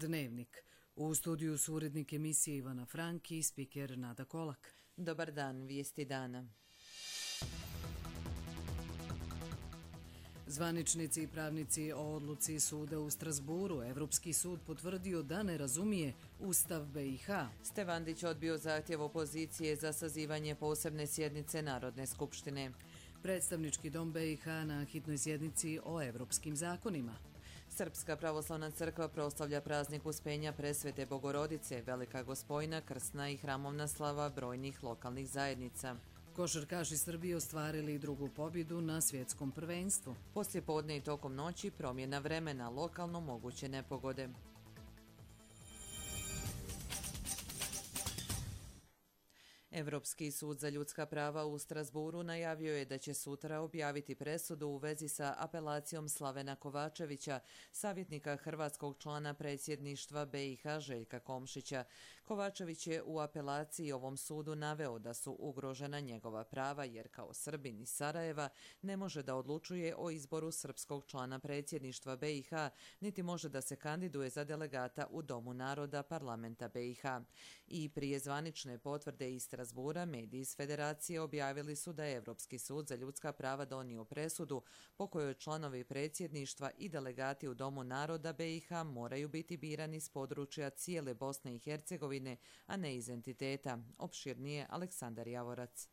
Dnevnik. U studiju su urednik emisije Ivana Franki i spiker Nada Kolak. Dobar dan, vijesti dana. Zvaničnici i pravnici o odluci suda u Strasburu. Evropski sud potvrdio da ne razumije Ustav BiH. Stevandić odbio zahtjev opozicije za sazivanje posebne sjednice Narodne skupštine. Predstavnički dom BiH na hitnoj sjednici o evropskim zakonima. Srpska pravoslavna crkva proslavlja praznik Uspenja Presvete Bogorodice, Velika Gospojna, krsna i hramovna slava brojnih lokalnih zajednica. Košarkaši Srbije ostvarili drugu pobjedu na svjetskom prvenstvu. Poslije podne i tokom noći promjena vremena, lokalno moguće nepogode. Evropski sud za ljudska prava u Strasburu najavio je da će sutra objaviti presudu u vezi sa apelacijom Slavena Kovačevića, savjetnika hrvatskog člana predsjedništva BiH Željka Komšića. Kovačević je u apelaciji ovom sudu naveo da su ugrožena njegova prava jer kao Srbin iz Sarajeva ne može da odlučuje o izboru srpskog člana predsjedništva BiH, niti može da se kandiduje za delegata u Domu naroda parlamenta BiH. I prije zvanične potvrde iz Strasbura, mediji iz Federacije objavili su da je Evropski sud za ljudska prava donio presudu po kojoj članovi predsjedništva i delegati u Domu naroda BiH moraju biti birani s područja cijele Bosne i Hercegovine, a ne iz entiteta. Opširnije Aleksandar Javorac.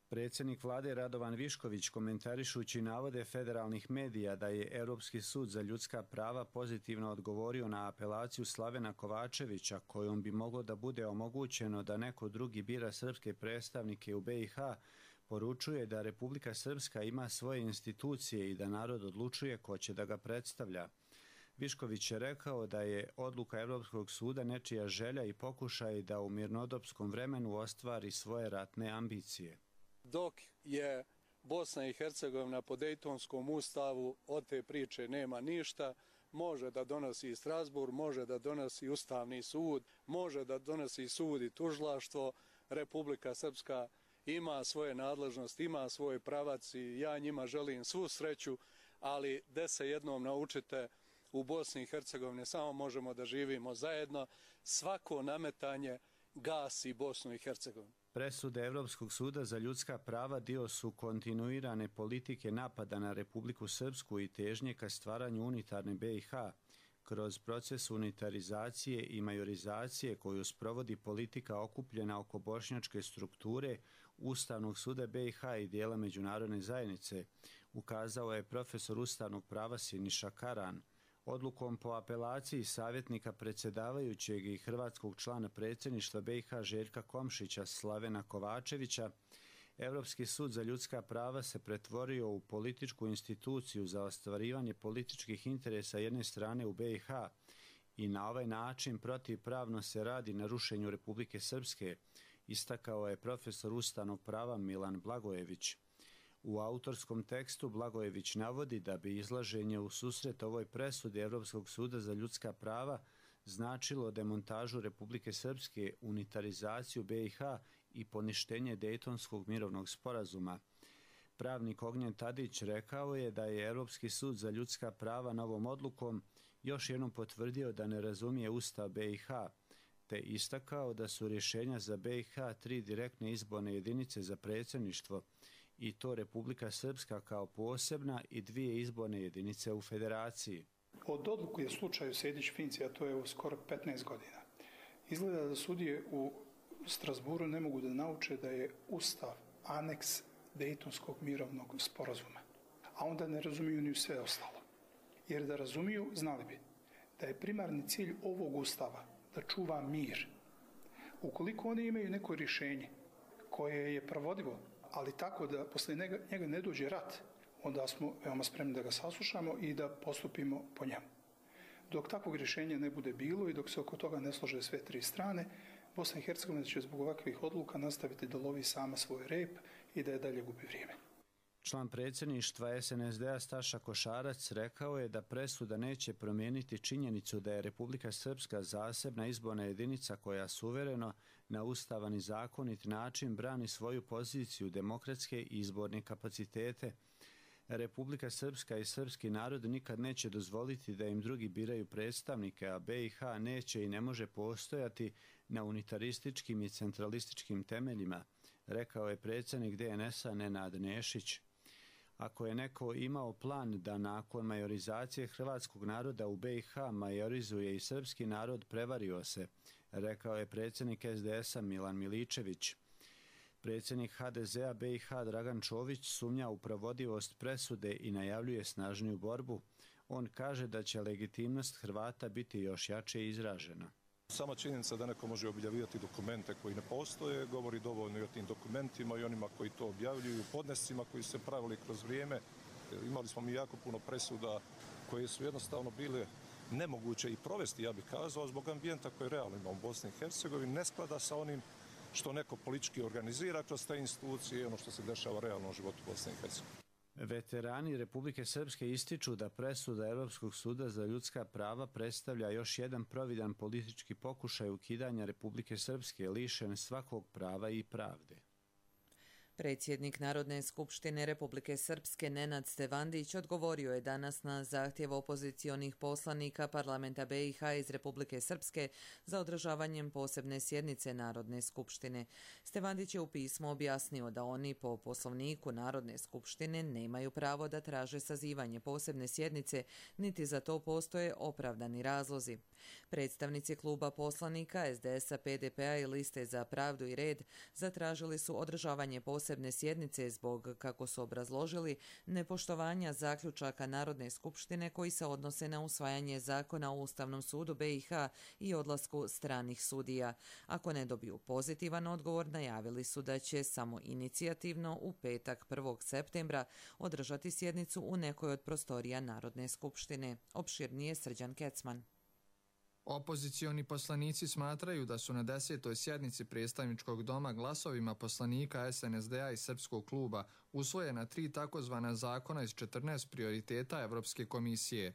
Predsjednik vlade Radovan Višković, komentarišući navode federalnih medija da je Europski sud za ljudska prava pozitivno odgovorio na apelaciju Slavena Kovačevića, kojom bi moglo da bude omogućeno da neko drugi bira srpske predstavnike u BiH, poručuje da Republika Srpska ima svoje institucije i da narod odlučuje ko će da ga predstavlja. Višković je rekao da je odluka Europskog suda nečija želja i pokušaj da u mirnodopskom vremenu ostvari svoje ratne ambicije. Dok je Bosna i Hercegovina po Dejtonskom ustavu, od te priče nema ništa, može da donosi Strasbourg, može da donosi Ustavni sud, može da donosi sud i tužilaštvo. Republika Srpska ima svoje nadležnosti, ima svoj pravac i ja njima želim svu sreću, ali da se jednom naučite, u Bosni i Hercegovini samo možemo da živimo zajedno, svako nametanje gasi Bosnu i Hercegovinu. Presude Evropskog suda za ljudska prava dio su kontinuirane politike napada na Republiku Srpsku i težnje ka stvaranju unitarne BiH kroz proces unitarizacije i majorizacije koju sprovodi politika okupljena oko bošnjačke strukture Ustavnog suda BiH i dijela međunarodne zajednice, ukazao je profesor ustavnog prava Siniša Karan. Odlukom po apelaciji savjetnika predsjedavajućeg i hrvatskog člana predsjedništva BiH Željka Komšića Slavena Kovačevića, Europski sud za ljudska prava se pretvorio u političku instituciju za ostvarivanje političkih interesa jedne strane u BiH i na ovaj način protivpravno se radi na rušenju Republike Srpske, istakao je profesor ustavnog prava Milan Blagojević. U autorskom tekstu Blagojević navodi da bi izlaženje u susret ovoj presudi Europskog suda za ljudska prava značilo demontažu Republike Srpske, unitarizaciju BiH i poništenje Dejtonskog mirovnog sporazuma. Pravnik Ognjen Tadić rekao je da je Europski sud za ljudska prava novom odlukom još jednom potvrdio da ne razumije Ustav BiH, te istakao da su rješenja za BiH 3 direktne izborne jedinice za predsjedništvo, i to Republika Srpska kao posebna i 2 izborne jedinice u federaciji. Od odluke u slučaju Sejdić-Finci, a to je skoro 15 godina, izgleda da sudije u Strasburu ne mogu da nauče da je Ustav aneks Dejtonskog mirovnog sporazuma, a onda ne razumiju ni sve ostalo. Jer da razumiju, znali bi da je primarni cilj ovog Ustava da čuva mir. Ukoliko oni imaju neko rješenje koje je provodivo, ali tako da posle njega ne dođe rat, onda smo veoma spremni da ga saslušamo i da postupimo po njemu. Dok takvog rješenja ne bude bilo i dok se oko toga ne slože sve 3 strane, Bosna i Hercegovina će zbog ovakvih odluka nastaviti da lovi sama svoj rep i da je dalje gubi vrijeme. Član predsjedništva SNSD-a Staša Košarac rekao je da presuda neće promijeniti činjenicu da je Republika Srpska zasebna izborna jedinica koja suvereno na ustavan i zakonit način brani svoju poziciju demokratske i izborne kapacitete. Republika Srpska i srpski narod nikad neće dozvoliti da im drugi biraju predstavnike, a BiH neće i ne može postojati na unitarističkim i centralističkim temeljima, rekao je predsjednik DNS-a Nenad Nešić. Ako je neko imao plan da nakon majorizacije hrvatskog naroda u BiH majorizuje i srpski narod, prevario se, rekao je predsjednik SDS-a Milan Miličević. Predsjednik HDZ-a BiH Dragan Čović sumnja u provodivost presude i najavljuje snažniju borbu. On kaže da će legitimnost Hrvata biti još jače izražena. Sama činjenica da neko može objavljivati dokumente koji ne postoje govori dovoljno i o tim dokumentima i onima koji to objavljuju, podnescima koji su se pravili kroz vrijeme. Imali smo mi jako puno presuda koje su jednostavno bile nemoguće i provesti, ja bih kazao, zbog ambijenta koji realno ima u Bosni i Hercegovini, ne sklada sa onim što neko politički organizira kroz te institucije i ono što se dešava realno u životu Bosne i Hercegovine. Veterani Republike Srpske ističu da presuda Europskog suda za ljudska prava predstavlja još jedan providan politički pokušaj ukidanja Republike Srpske lišen svakog prava i pravde. Predsjednik Narodne skupštine Republike Srpske Nenad Stevandić odgovorio je danas na zahtjev opozicionih poslanika parlamenta BiH iz Republike Srpske za održavanjem posebne sjednice Narodne skupštine. Stevandić je u pismu objasnio da oni po poslovniku Narodne skupštine nemaju pravo da traže sazivanje posebne sjednice, niti za to postoje opravdani razlozi. Predstavnici kluba poslanika SDS-a, PDP-a i Liste za pravdu i red zatražili su održavanje posebne sjednice zbog, kako su obrazložili, nepoštovanja zaključaka Narodne skupštine koji se odnose na usvajanje zakona o Ustavnom sudu BiH i odlasku stranih sudija. Ako ne dobiju pozitivan odgovor, najavili su da će samo inicijativno u petak 1. septembra održati sjednicu u nekoj od prostorija Narodne skupštine. Opširnije Srđan Kecman. Opozicioni poslanici smatraju da su na 10. sjednici predstavničkog doma glasovima poslanika SNSD-a i Srpskog kluba usvojena 3 takozvana zakona iz 14 prioriteta Evropske komisije.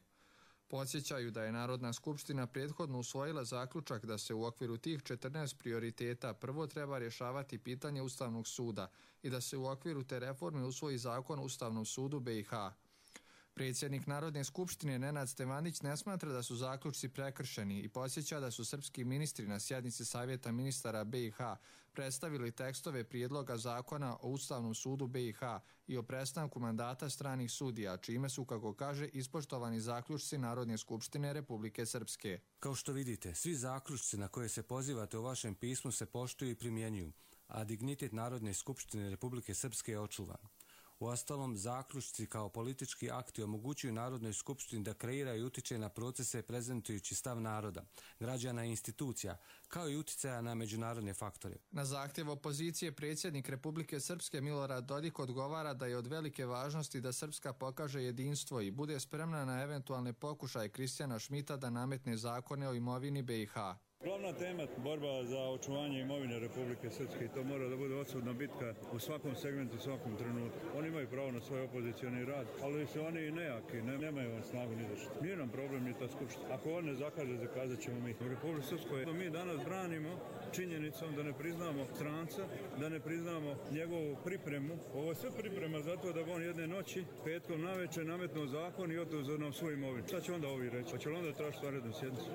Podsjećaju da je Narodna skupština prethodno usvojila zaključak da se u okviru tih 14 prioriteta prvo treba rješavati pitanje Ustavnog suda i da se u okviru te reforme usvoji zakon o Ustavnom sudu BiH. Predsjednik Narodne skupštine Nenad Stevandić ne smatra da su zaključci prekršeni i podsjeća da su srpski ministri na sjednici Savjeta ministara BiH predstavili tekstove prijedloga zakona o Ustavnom sudu BiH i o prestanku mandata stranih sudija, čime su, kako kaže, ispoštovani zaključci Narodne skupštine Republike Srpske. Kao što vidite, svi zaključci na koje se pozivate u vašem pismu se poštuju i primjenjuju, a dignitet Narodne skupštine Republike Srpske je očuvan. Uostalom, zaključci kao politički akti omogućuju Narodnoj skupštini da kreira i utiče na procese prezentujući stav naroda, građana i institucija, kao i uticaja na međunarodne faktore. Na zahtjev opozicije predsjednik Republike Srpske Milorad Dodik odgovara da je od velike važnosti da Srpska pokaže jedinstvo i bude spremna na eventualne pokušaje Kristijana Šmita da nametne zakone o imovini BiH. Glavna tema borba za očuvanje imovine Republike Srpske i to mora da bude odsudna bitka u svakom segmentu, u svakom trenutku. Oni imaju pravo na svoj opozicioni rad, ali su oni nejaki, nemaju snagu ni za što. Nije nam problem ni ta skupština. Ako on ne zakaže, zakazat ćemo mi. U Republike Srpskoj mi danas branimo činjenicom da ne priznamo stranca, da ne priznamo njegovu pripremu. Ovo je sve priprema zato da on jedne noći, petkom navečer, nametnuo zakon i oduzeo nam svoju imovinu. Šta će onda ovi reći? Hoće li onda tražiti vanrednu sjednicu?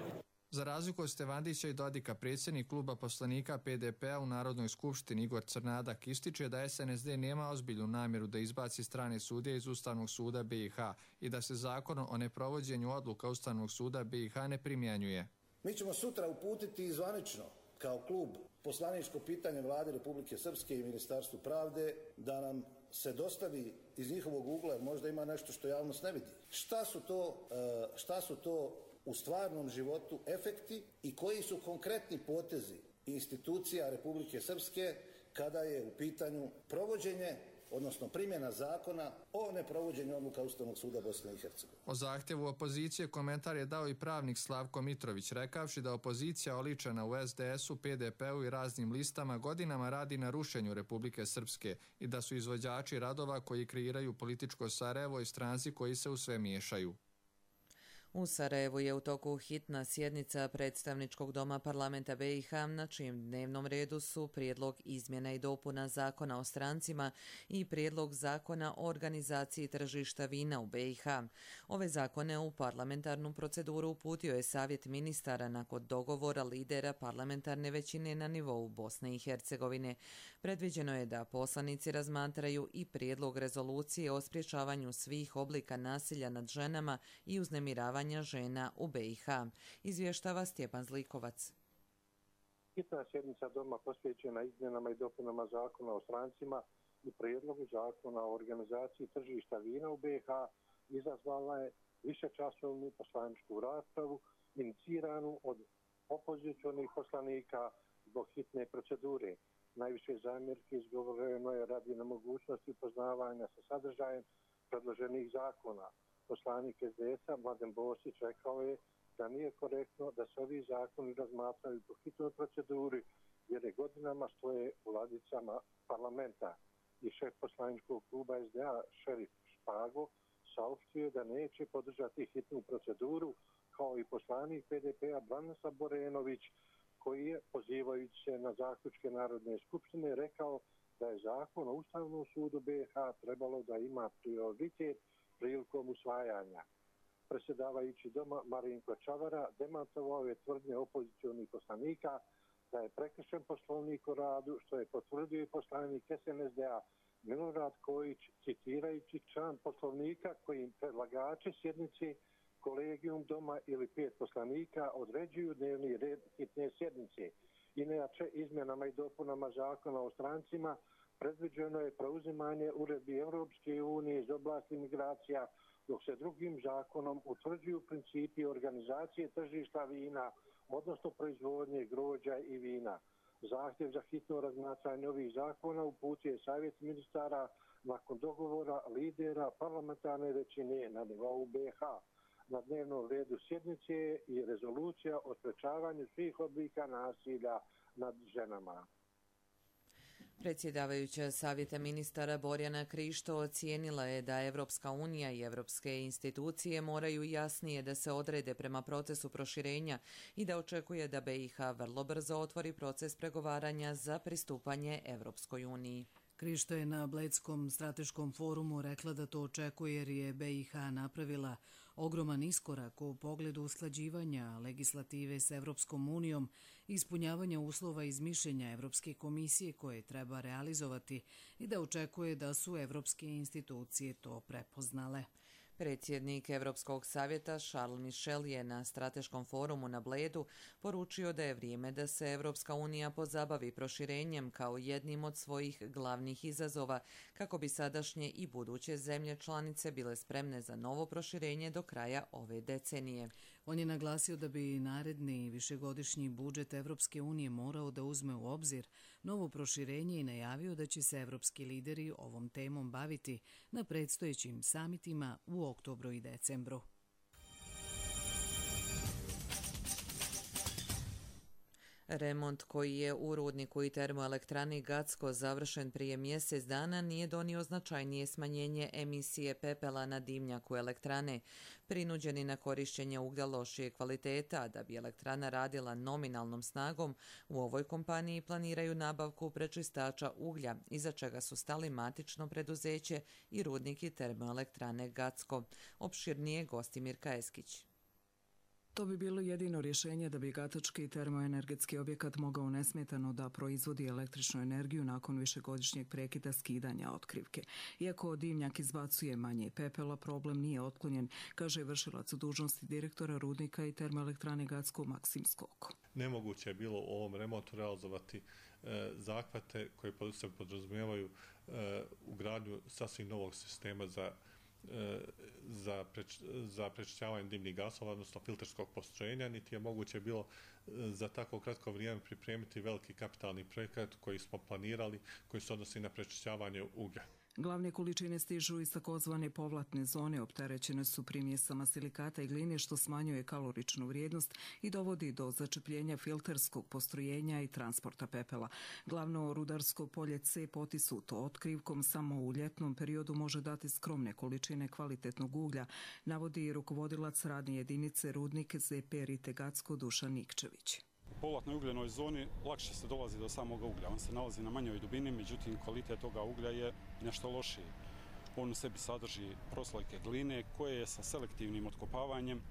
Za razliku od Stevandića i Dodika, predsjednik kluba poslanika PDP-a u Narodnoj skupštini Igor Crnadak ističe da SNSD nema ozbiljnu namjeru da izbaci strane sudije iz Ustavnog suda BiH i da se zakon o neprovođenju odluka Ustavnog suda BiH ne primjenjuje. Mi ćemo sutra uputiti zvanično kao klub poslaničko pitanje Vlade Republike Srpske i Ministarstvu pravde da nam se dostavi iz njihovog ugla, možda ima nešto što javnost ne vidi. Šta su to u stvarnom životu efekti i koji su konkretni potezi institucija Republike Srpske kada je u pitanju provođenje, odnosno primjena zakona o neprovođenju odluka Ustavnog suda Bosne i Hercegovine. O zahtjevu opozicije komentar je dao i pravnik Slavko Mitrović, rekavši da opozicija oličena u SDS-u, PDP-u i raznim listama godinama radi na rušenju Republike Srpske i da su izvođači radova koji kreiraju političko Sarajevo i stranci koji se u sve miješaju. U Sarajevu je u toku hitna sjednica predstavničkog doma parlamenta BiH, na čijem dnevnom redu su prijedlog izmjena i dopuna zakona o strancima i prijedlog zakona o organizaciji tržišta vina u BiH. Ove zakone u parlamentarnu proceduru uputio je Savjet ministara nakon dogovora lidera parlamentarne većine na nivou Bosne i Hercegovine. Predviđeno je da poslanici razmatraju i prijedlog rezolucije o sprječavanju svih oblika nasilja nad ženama i uznemiravanja žena u BiH. Izvještava Stjepan Zlikovac. Hitna sjednica doma posvećena izmjenama i dopunama zakona o strancima i prijedlogu zakona o organizaciji tržišta vina u BiH izazvala je višečasovnu poslaničku raspravu iniciranu od opozicionih poslanika zbog hitne procedure. Najviše zamjerke izgovoreno je radi nemogućnosti upoznavanja sa sadržajem predloženih zakona. Poslanik SDS-a Mladen Bosić rekao je da nije korektno da se ovi zakoni razmatraju po hitnoj proceduri jer je godinama stoje u ladicama parlamenta. I šef poslaničkog kluba SDA Šerif Špago saopštio da neće podržati hitnu proceduru, kao i poslanik PDP-a Branisa Borenović, koji je, pozivajući se na zaključke Narodne skupštine, rekao da je zakon o Ustavnom sudu BiH trebalo da ima prioritet prilikom usvajanja. Predsjedavajući doma Marinko Čavara demantovao je tvrdnje opozicionih poslanika da je prekršen Poslovnik o radu, što je potvrdio i poslanik SNSD-a Milorad Kojić, citirajući član Poslovnika kojim predlagači sjednice, kolegijum doma ili 5 poslanika određuju dnevni red hitne sjednice. Inače, izmjenama i dopunama zakona o strancima predviđeno je preuzimanje uredbi Europske unije iz oblasti migracija, dok se drugim zakonom utvrđuju principi organizacije tržišta vina, odnosno proizvodnje grožđa i vina. Zahtjev za hitno razmatranje ovih zakona uputio je Savjet ministara nakon dogovora lidera parlamentarne većine na nivou BiH. Na dnevnom redu sjednice je i rezolucija o sprečavanju svih oblika nasilja nad ženama. Predsjedavajuća Savjeta ministara Borjana Krišto ocijenila je da Evropska unija i evropske institucije moraju jasnije da se odrede prema procesu proširenja i da očekuje da BiH vrlo brzo otvori proces pregovaranja za pristupanje Evropskoj uniji. Krišto je na Bledskom strateškom forumu rekla da to očekuje jer je BiH napravila ogroman iskorak u pogledu usklađivanja legislative s Evropskom unijom i ispunjavanja uslova iz mišljenja Evropske komisije koje treba realizovati i da očekuje da su evropske institucije to prepoznale. Predsjednik Evropskog savjeta Charles Michel je na strateškom forumu na Bledu poručio da je vrijeme da se Evropska unija pozabavi proširenjem kao jednim od svojih glavnih izazova kako bi sadašnje i buduće zemlje članice bile spremne za novo proširenje do kraja ove decenije. On je naglasio da bi naredni višegodišnji budžet Evropske unije morao da uzme u obzir novo proširenje i najavio da će se evropski lideri ovom temom baviti na predstojećim samitima u oktobru i decembru. Remont koji je u rudniku i termoelektrani Gacko završen prije mjesec dana nije donio značajnije smanjenje emisije pepela na dimnjaku elektrane. Prinuđeni na korišćenje uglja lošije kvaliteta, da bi elektrana radila nominalnom snagom, u ovoj kompaniji planiraju nabavku prečistača uglja, iza čega su stali matično preduzeće i rudnik i termoelektrane Gacko. Opširnije Gostimir Kajeskić. To bi bilo jedino rješenje da bi gatački termoenergetski objekat mogao nesmetano da proizvodi električnu energiju nakon višegodišnjeg prekida skidanja otkrivke. Iako dimnjak izbacuje manje pepela, problem nije otklonjen, kaže vršilac dužnosti direktora rudnika i termoelektrane Gacko Maksim Skoko. Nemoguće je bilo u ovom remontu realizovati zahvate koje se podrazumijevaju ugradnju sasvim novog sistema za prečišćavanje dimnih gasova, odnosno filterskog postrojenja, niti je moguće bilo za tako kratko vrijeme pripremiti veliki kapitalni projekat koji smo planirali, koji se odnosi na prečišćavanje uglja. Glavne količine stižu iz takozvane povlatne zone, opterećene su primjesama silikata i gline, što smanjuje kaloričnu vrijednost i dovodi do začepljenja filterskog postrojenja i transporta pepela. Glavno rudarsko polje C potisnuto otkrivkom samo u ljetnom periodu može dati skromne količine kvalitetnog uglja, navodi rukovodilac radne jedinice Rudnik ZP Ritegacko Dušan Nikčević. U povlatnoj ugljenoj zoni lakše se dolazi do samog uglja. On se nalazi na manjoj dubini, međutim kvalitet toga uglja je nešto lošiji. On u sebi sadrži proslojke gline koje je sa selektivnim otkopavanjem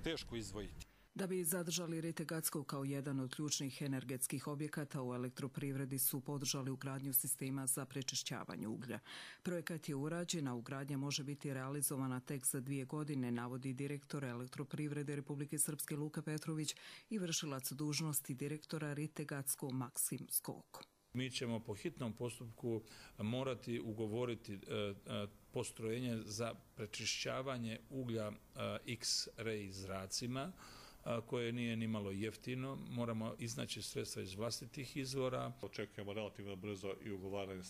teško izdvojiti. Da bi zadržali Ritegacko kao jedan od ključnih energetskih objekata, u elektroprivredi su podržali ugradnju sistema za prečišćavanje uglja. Projekat je urađen, a ugradnja može biti realizovana tek za 2 godine, navodi direktor Elektroprivrede Republike Srpske Luka Petrović i vršilac dužnosti direktora Ritegacko Maksim Skoko. Mi ćemo po hitnom postupku morati ugovoriti postrojenje za prečišćavanje uglja X-ray zracima, koje nije ni malo jeftino. Moramo iznaći sredstva iz vlastitih izvora. Očekujemo relativno brzo i ugovaranje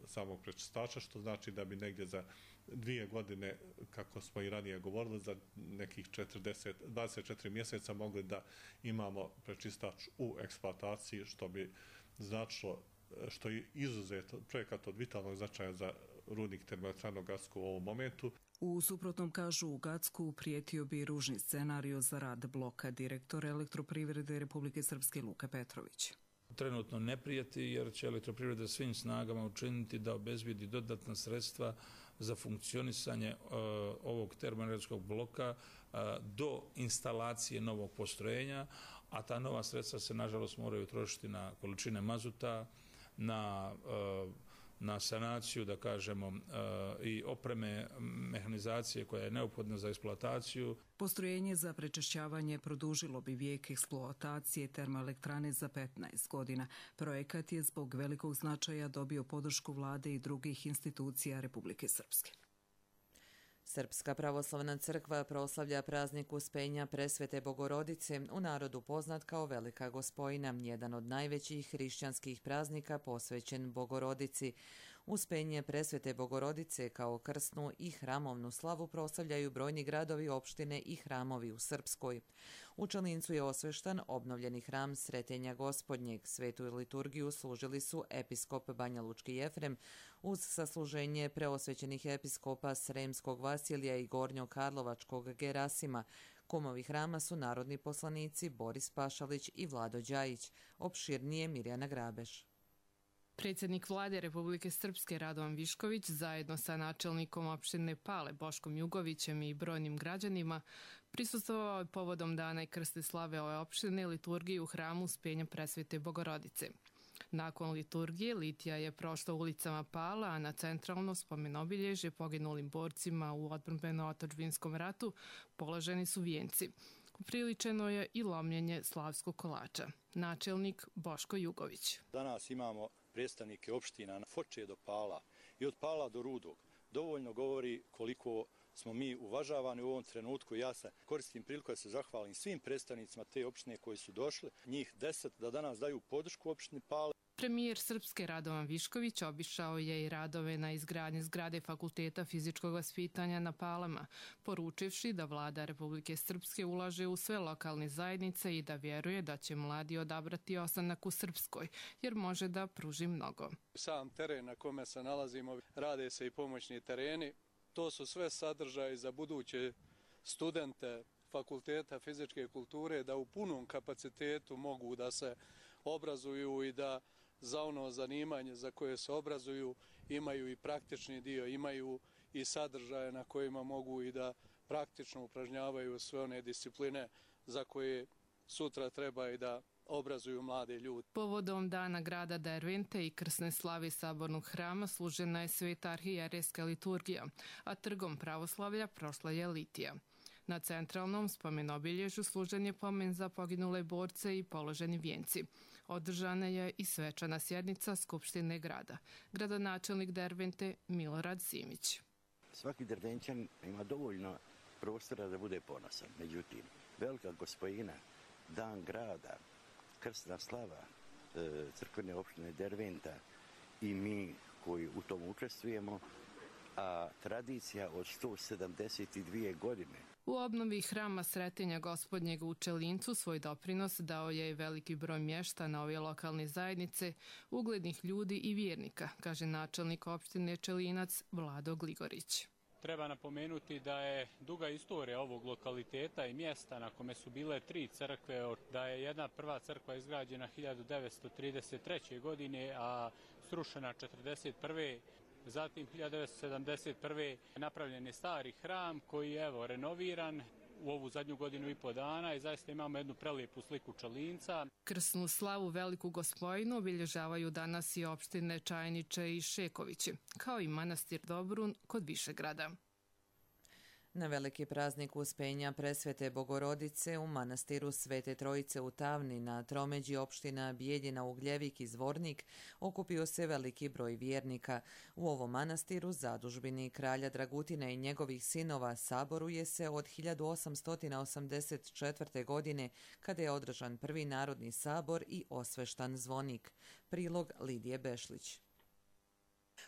samog prečistača, što znači da bi negdje za 2 godine, kako smo i ranije govorili, za nekih 24 mjeseca mogli da imamo prečistač u eksploataciji, što bi značilo, što je izuzetno projekat od vitalnog značaja za rudnik termoelektrane Gacko u ovom momentu. U suprotnom, kažu, u Gacku prijetio bi ružni scenario za rad bloka, direktor Elektroprivrede Republike Srpske Luka Petrović. Trenutno ne prijeti jer će Elektroprivreda svim snagama učiniti da obezbijedi dodatna sredstva za funkcionisanje ovog termoenergetskog bloka do instalacije novog postrojenja, a ta nova sredstva se nažalost moraju trošiti na količine mazuta, na sanaciju, da kažemo, i opreme mehanizacije koja je neophodna za eksploataciju. Postrojenje za prečišćavanje produžilo bi vijek eksploatacije termoelektrane za 15 godina. Projekat je zbog velikog značaja dobio podršku vlade i drugih institucija Republike Srpske. Srpska pravoslavna crkva proslavlja praznik Uspenja Presvete Bogorodice, u narodu poznat kao Velika Gospojina, jedan od najvećih hrišćanskih praznika posvećen Bogorodici. Uspenje Presvete Bogorodice kao krsnu i hramovnu slavu proslavljaju brojni gradovi, opštine i hramovi u Srpskoj. U Čelincu je osveštan obnovljeni hram Sretenja Gospodnjeg. Svetu liturgiju služili su episkop Banja Lučki Jefrem uz sasluženje preosvećenih episkopa Sremskog Vasilija i Gornjokarlovačkog Gerasima. Kumovi hrama su narodni poslanici Boris Pašalić i Vlado Đajić. Opširnije Mirjana Grabeš. Predsjednik vlade Republike Srpske Radovan Višković zajedno sa načelnikom opštine Pale Boškom Jugovićem i brojnim građanima prisustvovao je povodom dana i krste slave ove opštine liturgiji u hramu Uspenja Presvete Bogorodice. Nakon liturgije litija je prošla ulicama Pala, a na centralno spomenobilježje poginulim borcima u odbrambeno-otadžbinskom ratu položeni su vijenci. Upriličeno je i lomljenje slavskog kolača. Načelnik Boško Jugović. Danas imamo predstavnike opština od Foče do Pala i od Pala do Rudog. Dovoljno govori koliko smo mi uvažavani u ovom trenutku. Ja se koristim priliku da se zahvalim svim predstavnicima te opštine koji su došli, njih 10, da danas daju podršku opštini Pale. Premijer Srpske Radovan Višković obišao je i radove na izgradnji zgrade Fakulteta fizičkog vaspitanja na Palama, poručivši da vlada Republike Srpske ulaže u sve lokalne zajednice i da vjeruje da će mladi odabrati ostanak u Srpskoj, jer može da pruži mnogo. Sam teren na kome se nalazimo, rade se i pomoćni tereni. To su sve sadržaji za buduće studente Fakulteta fizičke kulture da u punom kapacitetu mogu da se obrazuju i da za ono zanimanje za koje se obrazuju imaju i praktični dio, imaju i sadržaje na kojima mogu i da praktično upražnjavaju sve one discipline za koje sutra treba i da obrazuju mlade ljude. Povodom dana grada Dervente i krsne slave sabornog hrama služena je sveta arhijerejska liturgija, a trgom pravoslavlja prošla je litija. Na centralnom spomenobilježju služen je pomen za poginule borce i položeni vijenci. Održana je i svečana sjednica Skupštine grada. Gradonačelnik Dervente Milorad Simić. Svaki Dervenčan ima dovoljno prostora da bude ponosan. Međutim, Velika Gospojina, dan grada, krsna slava crkvene opštine Derventa i mi koji u tom učestvujemo, a tradicija od 172 godine. U obnovi hrama Sretenja Gospodnjeg u Čelincu svoj doprinos dao je i veliki broj mještana ove lokalne zajednice, uglednih ljudi i vjernika, kaže načelnik opštine Čelinac Vlado Gligorić. Treba napomenuti da je duga istorija ovog lokaliteta i mjesta na kome su bile 3 crkve, da je jedna prva crkva izgrađena 1933. godine, a srušena 1941. Zatim 1971. napravljen je stari hram koji je renoviran u ovu zadnju godinu i po dana i zaista imamo jednu prelijepu sliku Čelinca. Krsnu slavu Veliku Gospojinu obilježavaju danas i opštine Čajniče i Šekovići, kao i manastir Dobrun kod Višegrada. Na veliki praznik Uspenja Presvete Bogorodice u manastiru Svete Trojice u Tavni na tromeđi opština Bijeljina, Ugljevik i Zvornik okupio se veliki broj vjernika. U ovom manastiru, zadužbini kralja Dragutina i njegovih sinova, saboruje se od 1884. godine kada je održan prvi narodni sabor i osveštan zvonik. Prilog Lidije Bešlić.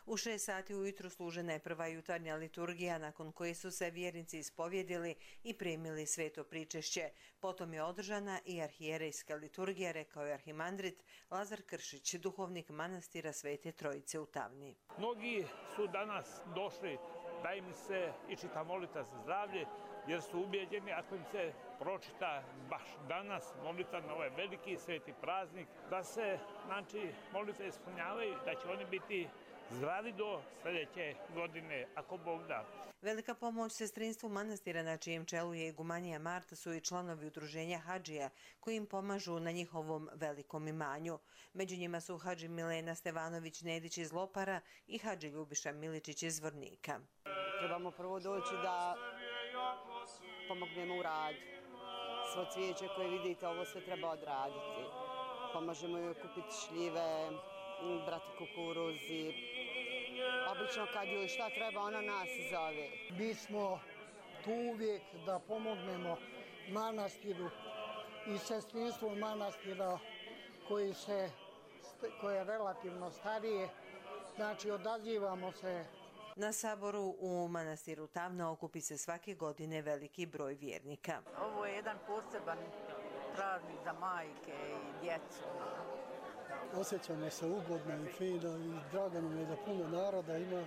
U 6 sati ujutru služena je prva jutarnja liturgija, nakon koje su se vjernici ispovjedili i primili sveto pričešće. Potom je održana i arhijerejska liturgija, rekao je arhimandrit Lazar Kršić, duhovnik manastira Svete Trojice u Tavni. Mnogi su danas došli da im se i čita molitva za zdravlje, jer su ubijeđeni ako im se pročita baš danas molitva na ovaj veliki sveti praznik, da se molitve ispunjavaju, da će oni biti zdravi do sljedeće godine, ako Bog da. Velika pomoć sestrinstvu manastira, na čijem čelu je igumanija Marta, su i članovi udruženja Hadžija, koji im pomažu na njihovom velikom imanju. Među njima su Hadži Milena Stevanović-Nedić iz Lopara i Hadži Ljubiša Miličić iz Zvornika. Trebamo prvo doći da pomognemo u radu. Svo cvijeće koje vidite, ovo sve treba odraditi. Pomažemo joj kupiti šljive, brati kukuruzi. Obično kad joj šta treba, ona nas zove. Mi smo tu uvijek da pomognemo manastiru i sestrinstvu manastira koje je relativno starije. Znači, odazivamo se. Na saboru u manastiru Tavna okupi se svake godine veliki broj vjernika. Ovo je jedan poseban praznik za majke i djecu. Osjećamo se ugodno i fino i drago nam je da puno naroda ima.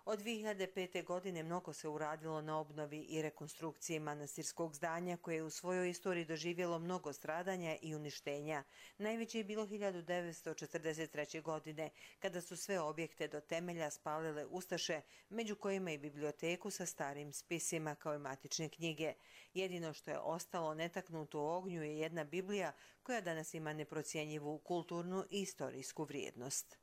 Od 2005. godine mnogo se uradilo na obnovi i rekonstrukciji manastirskog zdanja, koje je u svojoj istoriji doživjelo mnogo stradanja i uništenja. Najveće je bilo 1943. godine, kada su sve objekte do temelja spalile ustaše, među kojima i biblioteku sa starim spisima kao i matične knjige. Jedino što je ostalo netaknuto u ognju je jedna Biblija, koja danas ima neprocjenjivu kulturnu i istorijsku vrijednost.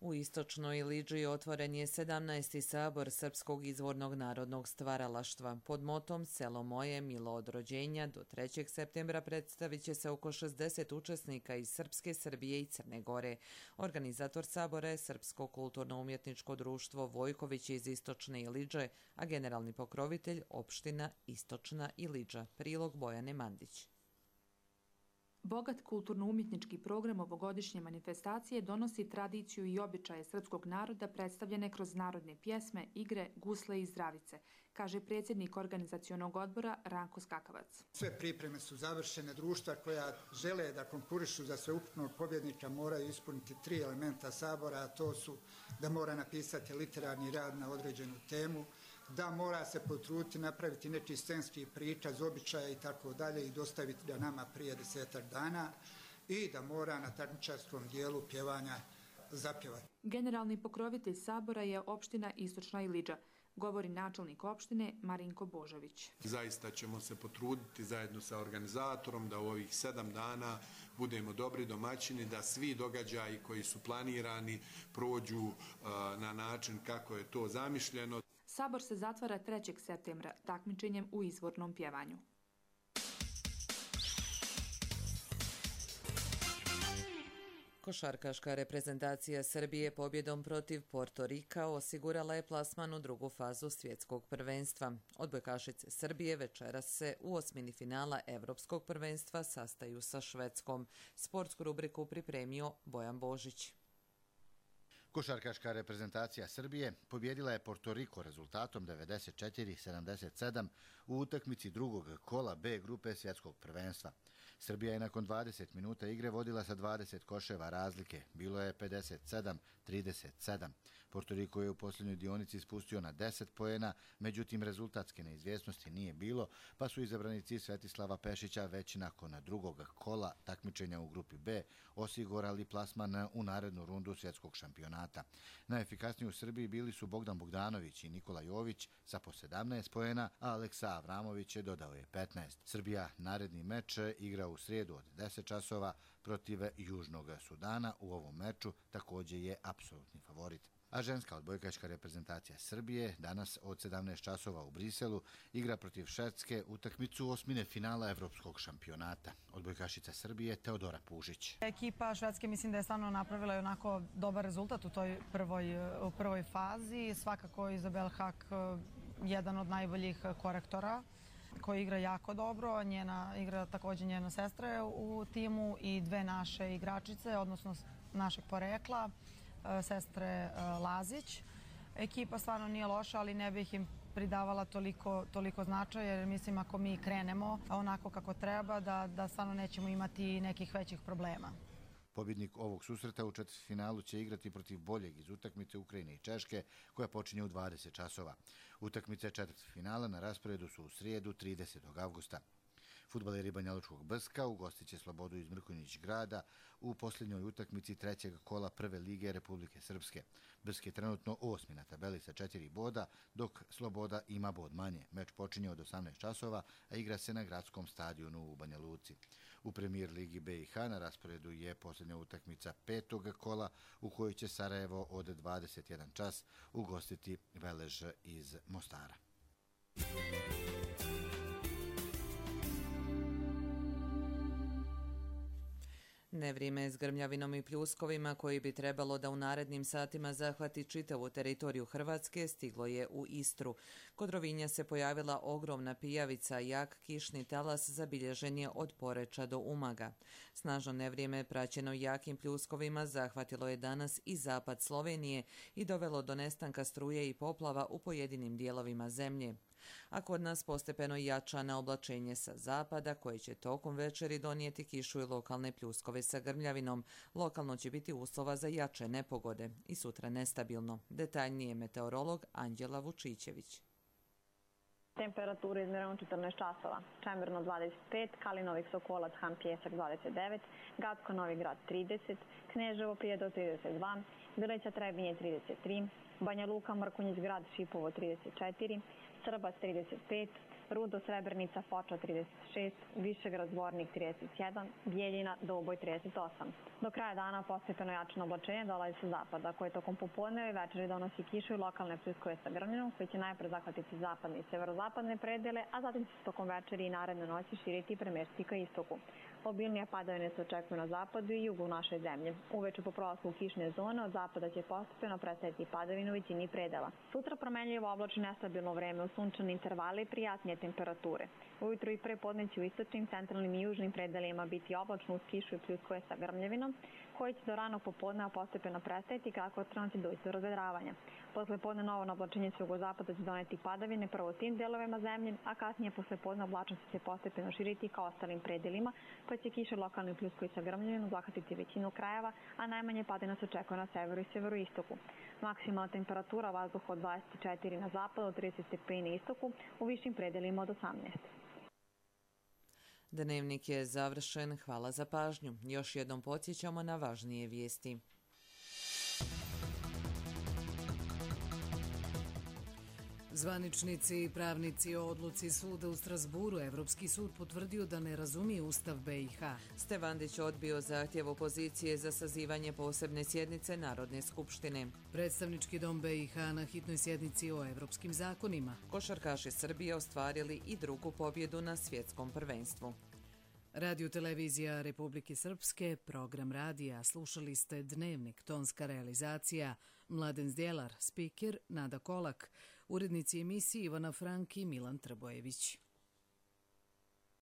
U istočnoj Iliđi otvoren je 17. sabor Srpskog izvornog narodnog stvaralaštva. Pod motom Selo moje, milo od rođenja, do 3. septembra predstavit će se oko 60 učesnika iz Srpske, Srbije i Crne Gore. Organizator sabora je Srpsko kulturno-umjetničko društvo Vojković iz istočne Iliđe, a generalni pokrovitelj opština Istočna Iliđa. Prilog Bojane Mandić. Bogat kulturno-umjetnički program ovogodišnje manifestacije donosi tradiciju i običaje srpskog naroda predstavljene kroz narodne pjesme, igre, gusle i zdravice, kaže predsjednik organizacionog odbora Ranko Skakavac. Sve pripreme su završene. Društva koja žele da konkurišu za sveukupnog pobjednika moraju ispuniti 3 elementa sabora, a to su da mora napisati literarni rad na određenu temu, da mora se potruditi napraviti neki scenski prikaz, običaja i tako dalje i dostaviti ga nama prije 10 dana i da mora na takmičarskom dijelu pjevanja zapjevati. Generalni pokrovitelj sabora je opština Istočna Iliđa, govori načelnik opštine Marinko Božović. Zaista ćemo se potruditi zajedno sa organizatorom da u ovih 7 dana budemo dobri domaćini, da svi događaji koji su planirani prođu na način kako je to zamišljeno. Sabor se zatvara 3. septembra takmičenjem u izvornom pjevanju. Košarkaška reprezentacija Srbije pobjedom protiv Porto Rika osigurala je plasman u drugu fazu svjetskog prvenstva. Odbojkašice Srbije večeras se u osmini finala Evropskog prvenstva sastaju sa Švedskom. Sportsku rubriku pripremio Bojan Božić. Košarkaška reprezentacija Srbije pobjedila je Porto Riko rezultatom 94-77 u utakmici drugog kola B grupe svjetskog prvenstva. Srbija je nakon 20 minuta igre vodila sa 20 koševa razlike. Bilo je 57-37. Porto Riko je u posljednjoj dionici spustio na 10 poena, međutim rezultatske neizvjesnosti nije bilo, pa su izabranici Svetislava Pešića već nakon drugog kola takmičenja u grupi B osigurali plasman u narednu rundu svjetskog šampionata. Najefikasniji u Srbiji bili su Bogdan Bogdanović i Nikola Jović sa po 17 poena, a Aleksa Avramović dodao je 15. Srbija naredni meč igra u srijedu od 10 časova protiv Južnog Sudana. U ovom meču također je apsolutni favorit. A ženska odbojkaška reprezentacija Srbije danas od 17 časova u Briselu igra protiv Švedske utakmicu osmine finala evropskog šampionata. Odbojkašica Srbije Teodora Pužić. Ekipa Švedske mislim da je stvarno napravila onako dobar rezultat u toj prvoj fazi. Svakako Izabel Hak jedan od najboljih korektora koji igra jako dobro. Igra također njena sestra je u timu i dve naše igračice, odnosno našeg porekla, sestre Lazić. Ekipa stvarno nije loša, ali ne bih im pridavala toliko značaja, jer mislim ako mi krenemo onako kako treba, da stvarno nećemo imati nekih većih problema. Pobjednik ovog susreta u četvrtfinalu će igrati protiv boljeg iz utakmice Ukrajine i Češke, koja počinje u 20 časova. Utakmice četvrtfinala na rasporedu su u srijedu 30. avgusta. Fudbaleri Banjalučkog Brska ugostit će Slobodu iz Mrkonjić grada u posljednjoj utakmici trećeg kola Prve lige Republike Srpske. Brsk je trenutno 8. na tabeli sa 4 boda, dok Sloboda ima bod manje. Meč počinje od 18 časova, a igra se na gradskom stadionu u Banja Luci. U Premijer ligi BiH na rasporedu je posljednja utakmica petog kola u kojoj će Sarajevo od 21 čas ugostiti Velež iz Mostara. Nevrijeme s grmljavinom i pljuskovima koji bi trebalo da u narednim satima zahvati čitavu teritoriju Hrvatske stiglo je u Istru. Kod Rovinja se pojavila ogromna pijavica, jak kišni talas zabilježen je od Poreča do Umaga. Snažno nevrijeme praćeno jakim pljuskovima zahvatilo je danas i zapad Slovenije i dovelo do nestanka struje i poplava u pojedinim dijelovima zemlje. A kod nas postepeno jača na oblačenje sa zapada, koje će tokom večeri donijeti kišu i lokalne pljuskove sa grmljavinom. Lokalno će biti uslova za jače nepogode i sutra nestabilno. Detaljnije meteorolog Anđela Vučićević. Temperatura izmjerena 14 časova. Čemerno 25, Kalinovik Sokolac Han Pjesak 29, Gacko Novi Grad 30, Kneževo Prijedor 32, Bileća Trebinje 33, Banja Luka Mrkonjić Grad Šipovo 34, Srbac 35, Rudo Srebrnica Foča 36, Višegrad Zvornik 31, Bijeljina Doboj 38. Do kraja dana postepeno jačano oblačenje dolazi sa zapada, koje tokom popodneva i večeri donosi kišu i lokalne pljuskove sa grmljavinom, koji će najpre zahvatiti zapadne i severozapadne predele, a zatim će se tokom večeri i naredne noći širiti i premestiti ka istoku. Obilnije padavine se očekuju na zapadu i jugu naše zemlje. Uveče po prolasku kišne zone od zapada će postepeno predstaviti padavine u većini predela. Sutra promenljivo oblačno nestabilno vreme u sunčane intervale i prijatnije temperature. Ujutro i prepodne će u istočnim, centralnim i južnim predelima biti oblačno uz kišu i pljuskove sa grmljavinom, koji će do ranog popodneva postepeno prestajati kako otrano će doći do razvedravanja. Posle podne novo oblačenje s jugozapada će doneti padavine prvo u tim delovima zemlje, a kasnije posle podne oblačnost će se postepeno širiti ka ostalim predelima, pa će kiša lokalni pljuskovi sa grmljavinom zahvatiti većinu krajeva, a najmanje padavina se očekuje na severu i severoistoku. Maksimalna temperatura vazduha od 24 na zapadu, od 30 stepeni na istoku, u višim predelima od 18. Dnevnik je završen. Hvala za pažnju. Još jednom podsjećamo na važnije vijesti. Zvaničnici i pravnici o odluci suda u Strasburu Evropski sud potvrdio da ne razumije Ustav BiH. Stevandić odbio zahtjev opozicije za sazivanje posebne sjednice Narodne skupštine. Predstavnički dom BiH na hitnoj sjednici o evropskim zakonima. Košarkaši Srbije ostvarili i drugu pobjedu na svjetskom prvenstvu. Radio televizija Republike Srpske, program radija, slušali ste Dnevnik, tonska realizacija, Mladen Zdjelar, spiker Nada Kolak, urednici emisiji Ivana Frank i Milan Trbojević.